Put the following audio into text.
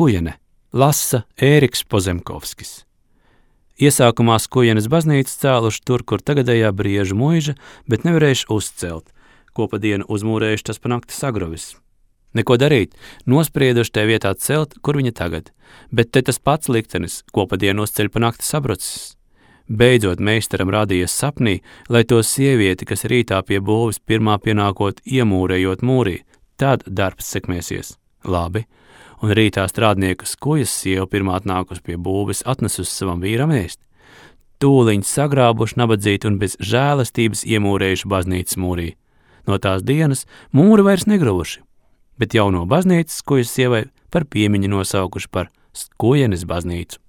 Skujene lasa Ēriks Pozemkovskis. Iesākumā Skujenes baznīca cēluši tur, kur tagadējā Briežu muiža, bet nevarējuši uzcelt, ko pa dienu uzmūrējuši, tas pa nakti sagrovis. Neko darīt, nosprieduši te vietā celt, kur viņa tagad, bet te tas pats liktenis, ko pa dienu uzceļ pa nakti sabrucis. Beidzot meistaram rādījies sapnī, lai to sievieti, kas rītā pie būvis pirmā pienākot iemūrējot mūrī, tad darbs sekmēsies. Labi, un rītā strādnieku Skujas sieva pirmā atnākus pie būvis atnesus savam vīram ēst. Tūliņ sagrābuši nabadzīt un bez žēlastības iemūrējuši baznīcas mūrī. No tās dienas mūri vairs negruvuši, bet jauno baznīcas Skujas sievai par piemiņu nosaukuši par Skujenes baznīcu.